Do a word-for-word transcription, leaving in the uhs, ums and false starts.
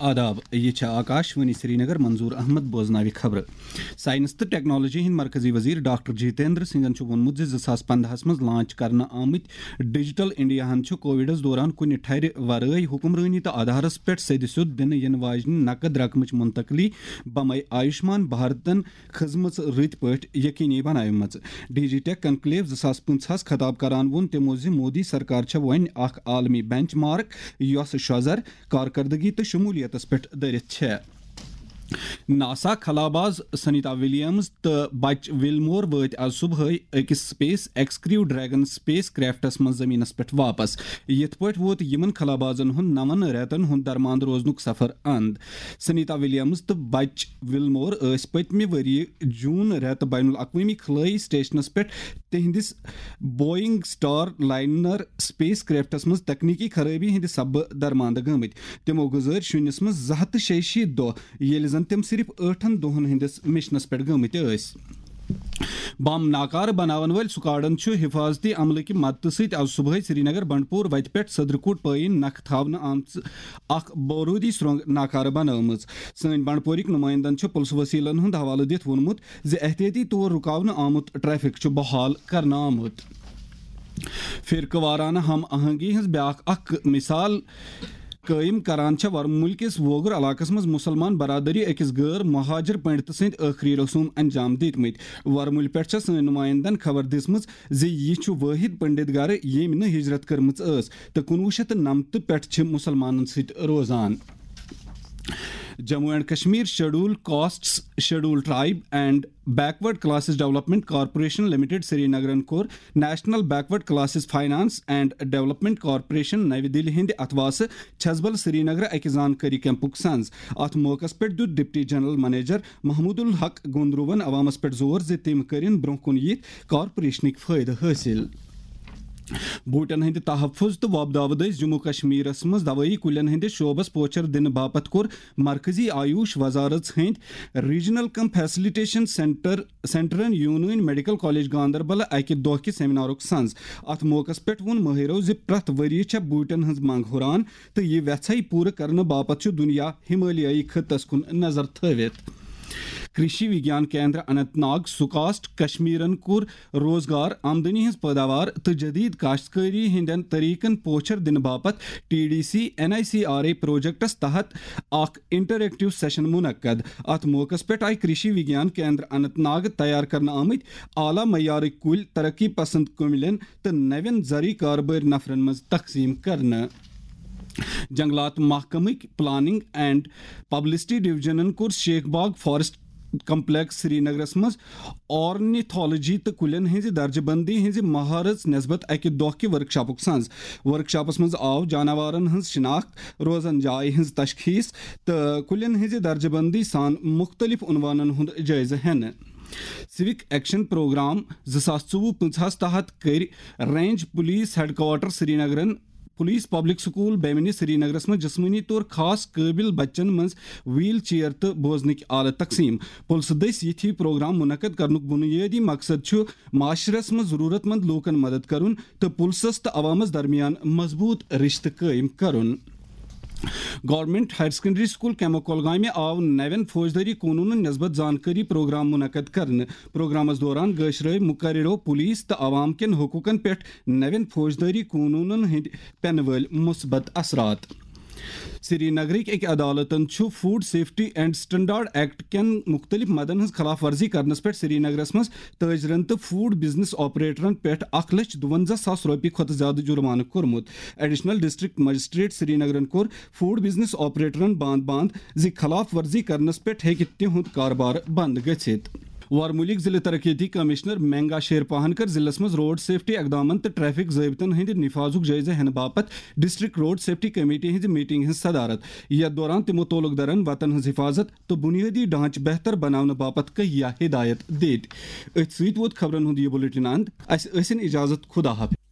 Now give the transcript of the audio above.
آداب، یہِ چھےٚ آکاش وانی سرینگر۔ منظور احمد بوزناوِ خبرٕ۔ ساینس تہٕ ٹیکنالوجی ہٕنٛدۍ مرکزی وزیر ڈاکٹر جتیندر سنگھن چھُ ووٚنمُت زِ زٕ ساس پندہَس منٛز لانچ کرنہٕ آمٕتۍ ڈیجیٹل انڈیاہَن چھُ کووڈس دوران کُنہِ ٹھرِ ورٲے حکمرٲنی تہٕ آدھارس پٮ۪ٹھ سیٚدِ سیوٚد دِنہٕ یِنہٕ واجنہِ نقد رقمٕچ منتقلی بمے آیوشمان بھارتن کھٔژمٕژ رٕتۍ پٲٹھۍ یقینی بناومٕژ۔ ڈی جی ٹیک کنکلیو زٕ ساس پٕنٛژٕہَس خطاب کران ووٚن تِمو زِ مودی سرکار چھےٚ وۄنۍ اکھ عالمی بینچ مارک، یۄس شۄزر، کارکردگی تہٕ شمولیتس پٮ۪ٹھ دٔرِتھ چھےٚ۔ ناسا خلاباز سنیتا ولیمز تہٕ بچ وِلمور وٲتۍ آز صبحٲے أکِس سپیس ایکس کریو ڈریگن سپیس کرافٹس منٛز زمینس پٮ۪ٹھ واپس۔ یِتھ پٲٹھۍ ووت یِمن خلابازن ہُنٛد نَوَن رٮ۪تن ہُنٛد درماند روزنُک سفر اند۔ سنیتا ولیمز تہٕ بچ وِلمور ٲسۍ پٔتمہِ ؤریہِ جون رٮ۪تہٕ بین الاقوٲمی خلٲیی سٹیشنس پٮ۪ٹھ تِہنٛدِس بوئنگ سٹار لائنر سپیس کرافٹس منٛز تکنیکی خرٲبی ہٕنٛدِ سببہٕ درماندٕ گٔمٕتۍ۔ تِمو گُزٲرۍ شُنِس منٛز زٕ ہَتھ تہٕ شیٚیہِ شیٖتھ دۄہ، ییٚلہِ زن تِم صرف ٲٹھن دۄہن ہٕنٛدِس مشنس پٮ۪ٹھ گٔمٕتۍ ٲسۍ۔ بم ناکارٕ بناون وٲلۍ سکواڈن چھُ حفاظتی عملہٕ کہِ مدتہٕ سۭتۍ آز صبحٲے سرینگر بنڈپور وتہِ پٮ۪ٹھ صدرکوٹ پٲیِن نکھٕ تھاونہٕ آمژٕ اکھ بارودی سرنگ ناکارٕ بنٲومٕژ۔ سٲنۍ بنڈپورٕکۍ نمٲیندن چھُ پُلسہٕ وسیلن ہُنٛد حوالہٕ دِتھ ووٚنمُت زِ احتیاطی طور رُکاونہٕ آمُت ٹریفک چھُ بحال کرنہٕ آمُت۔ فرقہٕ وارانہٕ ہم آہنگی ہٕنٛز بیاکھ اکھ مثال قٲیِم کران چھےٚ ورمُلۍ کِس ووگُر علاقس منٛز مُسلمان برادری أکِس غٲر مہاجر پنڈتہٕ سٕنٛدۍ ٲخری رسوم انجام دِتمٕتۍ۔ ورمُلۍ پٮ۪ٹھ چھےٚ سٲنۍ نمٲیندن خبر دِژمٕژ زِ یہِ چھُ وٲحد پنڈت گرٕ، ییٚمۍ نہٕ ہجرت کٔرمٕژ ٲس تہٕ کُنوُہ شیٚتھ تہٕ نَمتہٕ پٮ۪ٹھ چھِ مُسلمانن سۭتۍ روزان۔ Jammu and Kashmir schedule castes, schedule tribe and backward classes development corporation limited سرینگرن کوٚر national backward classes finance and development corporation نَوِ دِلہِ ہٕنٛدِ اتھواسہٕ چھزبل سرینگر اکہِ زانکٲری کیمپُک سنز۔ اتھ موقعس پٮ۪ٹھ دیُت ڈپٹی جنرل منیجر محمود الحق گوندروون عوامس پٮ۪ٹھ زور زِ تِم کٔرِن برونٛہہ کُن یِتھ کارپوریشنٕکۍ فٲیدٕ حٲصِل۔ بوٗٹن ہٕنٛدِ تحفظ تہٕ وۄپداوٕ دٔسۍ جموں کشمیرس منٛز دوٲیی کُلٮ۪ن ہٕنٛدِس شعبس پوچھر دِنہٕ باپتھ کوٚر مرکزی آیوش وزارت ہٕنٛدۍ ریجنل کم فیسلیٹیشن سینٹر سینٹرن یوٗنٲنۍ میڈیکل کالج گاندربل اکہِ دۄہ کہِ سیمینارُک سنز۔ اتھ موقعس پٮ۪ٹھ ووٚن مٲہرو زِ پرٛٮ۪تھ ؤریہِ چھےٚ بوٗٹن ہٕنٛز منگ ہُران تہٕ یہِ وٮ۪ژھے پوٗرٕ کرنہٕ باپتھ چھُ دُنیا ہمالیٲیی خطس کُن نظر تھٲوِتھ۔ کرشی وگیان کیندر اننت ناگ سکاسٹ کشمیرن کوٚر روزگار، آمدنی ہٕنٛز پٲداوار تہٕ جدید کاشتکٲری ہٕنٛدٮ۪ن طریقن پوچھر دِنہٕ باپتھ T D C N I C R A پروجیکٹس تحت اکھ انٹریکٹیو سیشن منعقد۔ اتھ موقعس پٮ۪ٹھ آیہِ کرشی وگیان کیندر اننت ناگ تیار کرنہٕ آمٕتۍ اعلیٰ معیارٕکۍ کُلۍ ترقی پسند کُملٮ۪ن تہٕ نوٮ۪ن زرعی کاربٲرۍ نفرن منٛز تقسیٖم کرنہٕ۔ جنگلات محکمٕکۍ پلاننگ اینڈ پبلسٹی ڈویژنن کوٚر شیخ باغ فارسٹ کمپلیکس سرینگرس منٛز آرنیتھولوجی تہٕ کُلٮ۪ن ہٕنٛزِ درجہٕ بندی ہٕنٛزِ مہارت نسبت اکہِ دۄہ کہِ ورکشاپُک سنز۔ ورکشاپس منٛز آو جاناوارن ہٕنٛز شناخت، روزن جایہِ ہٕنٛز تشخیص تہٕ کُلٮ۪ن ہٕنٛزِ درجہٕ بندی سان مُختٔلِف عنوانن ہُنٛد جٲیزٕ ہٮ۪نہٕ۔ سِوک ایکشن پروگرام زٕ ساس ژوٚوُہ پٕنٛژٕہَس تحت کٔرۍ رینج پولیس ہیڈ کوارٹر سرینگرن پولیس پبلک سکول بیمنی سرینگرس منٛز جسمٲنی طور خاص قٲبل بچن منٛز ویل چیئر تہٕ بوزنٕکۍ آلہٕ تقسیٖم۔ پُلسہٕ دٔسۍ یِتھۍ پروگرام منعقد کرنُک بُنیٲدی مقصد چھُ معاشرس منٛز ضروٗرت مند لوٗکن مدد کرُن تہٕ پُلسس تہٕ عوامس درمیان مضبوٗط رشتہٕ قٲیِم کرُن۔ Government higher secondary school Kaimoh کۄلگامہِ آو نوٮ۪ن فوجدٲری قونوٗنن نسبت زانکٲری پروگرام منعقد کرنہٕ۔ پروگرامس دوران گٲشرٲوۍ مقررو پولیس تہٕ عوام کٮ۪ن حقوٗقن پٮ۪ٹھ نوٮ۪ن فوجدٲری قونوٗنن ہٕنٛدۍ پٮ۪نہٕ وٲلۍ مثبت اثرات۔ سری نگرٕکۍ أکۍ عدالتن چھُ food safety and standard act کٮ۪ن مُختٔلِف مدن ہٕنٛز خلاف ورزی کرنس پٮ۪ٹھ سری نگرس منٛز تٲجرن تہٕ فوڈ بزنس آپریٹرن پٮ۪ٹھ اکھ لچھ دُوَنزاہ ساس رۄپیہِ کھۄتہٕ زیادٕ جُرمانہٕ کوٚرمُت۔ ایڈیشنل ڈسٹرکٹ مجسٹریٹ سرینگرن کوٚر فوڈ بزنس آپریٹرن باند باند زِ خلاف ورزی کرنس پٮ۪ٹھ ہیٚکہِ تِہُنٛد کاربار بند گٔژھِتھ۔ ورمُلٕکۍ ضلع ترقیتی کمشنر مینگا شیر پاہن کٔر ضلعس منٛز روڈ سیفٹی اقدامن تہٕ ٹریفک ضٲبطن ہٕنٛدِ نفاذُک جٲیزٕ ہٮ۪نہٕ باپتھ ڈسٹرکٹ روڈ سیفٹی کمیٹی ہٕنٛزِ میٹنگ ہٕنٛز صدارت۔ یتھ دوران تِمو تعلق دارن وتن ہٕنٛز حفاظت تہٕ بنیٲدی ڈھانچہٕ بہتر بناونہٕ باپتھ کہیا ہدایت دِتۍ۔ أتھۍ سۭتۍ ووت خبرن ہُنٛد یہِ بُلیٹن اند۔ اسہِ ٲسِن اجازت، خدا حافظ۔